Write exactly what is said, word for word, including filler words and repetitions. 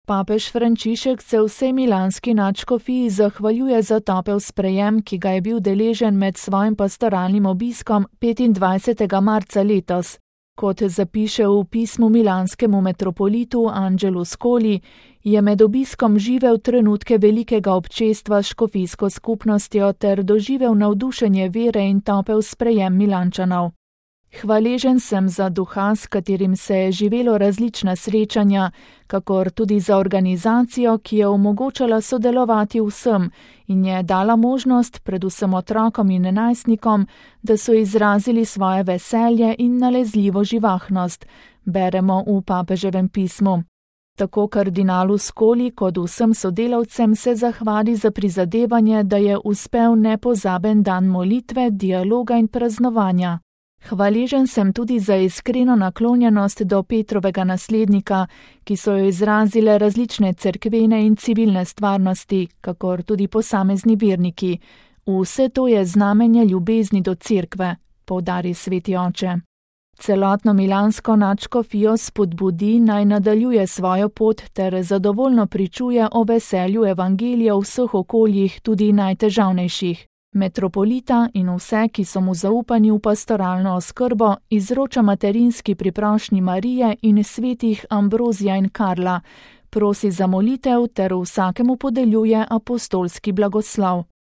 Papež Frančišek se vsej milanski nadškofiji zahvaljuje za topel sprejem, ki ga je bil deležen med svojim pastoralnim obiskom petindvajsetega marca letos. Kot zapiše v pismu milanskemu metropolitu Angelu Scoli, je med obiskom živel trenutke velikega občestva s škofijsko skupnostjo ter doživel navdušenje vere in topel sprejem Milančanov. Hvaležen sem za duha, s katerim se je živelo različna srečanja, kakor tudi za organizacijo, ki je omogočala sodelovati vsem in je dala možnost predvsem otrokom in najstnikom, da so izrazili svoje veselje in nalezljivo živahnost, beremo v papeževem pismu. Tako kardinalu Scoli kot vsem sodelavcem se zahvali za prizadevanje, da je uspel nepozaben dan molitve, dialoga in praznovanja. Hvaležen sem tudi za iskreno naklonjenost do Petrovega naslednika, ki so jo izrazile različne cerkvene in civilne stvarnosti, kakor tudi posamezni verniki. Vse to je znamenje ljubezni do cerkve, poudari sveti oče. Celotno milansko nadškofijo spodbudi, naj nadaljuje svojo pot ter zadovoljno pričuje o veselju evangelija v vseh okoljih, tudi najtežavnejših. Metropolita in vse, ki so mu zaupani v pastoralno oskrbo, izroča materinski priprošnji Marije in svetih Ambrozija in Karla, prosi za molitev ter vsakemu podeljuje apostolski blagoslov.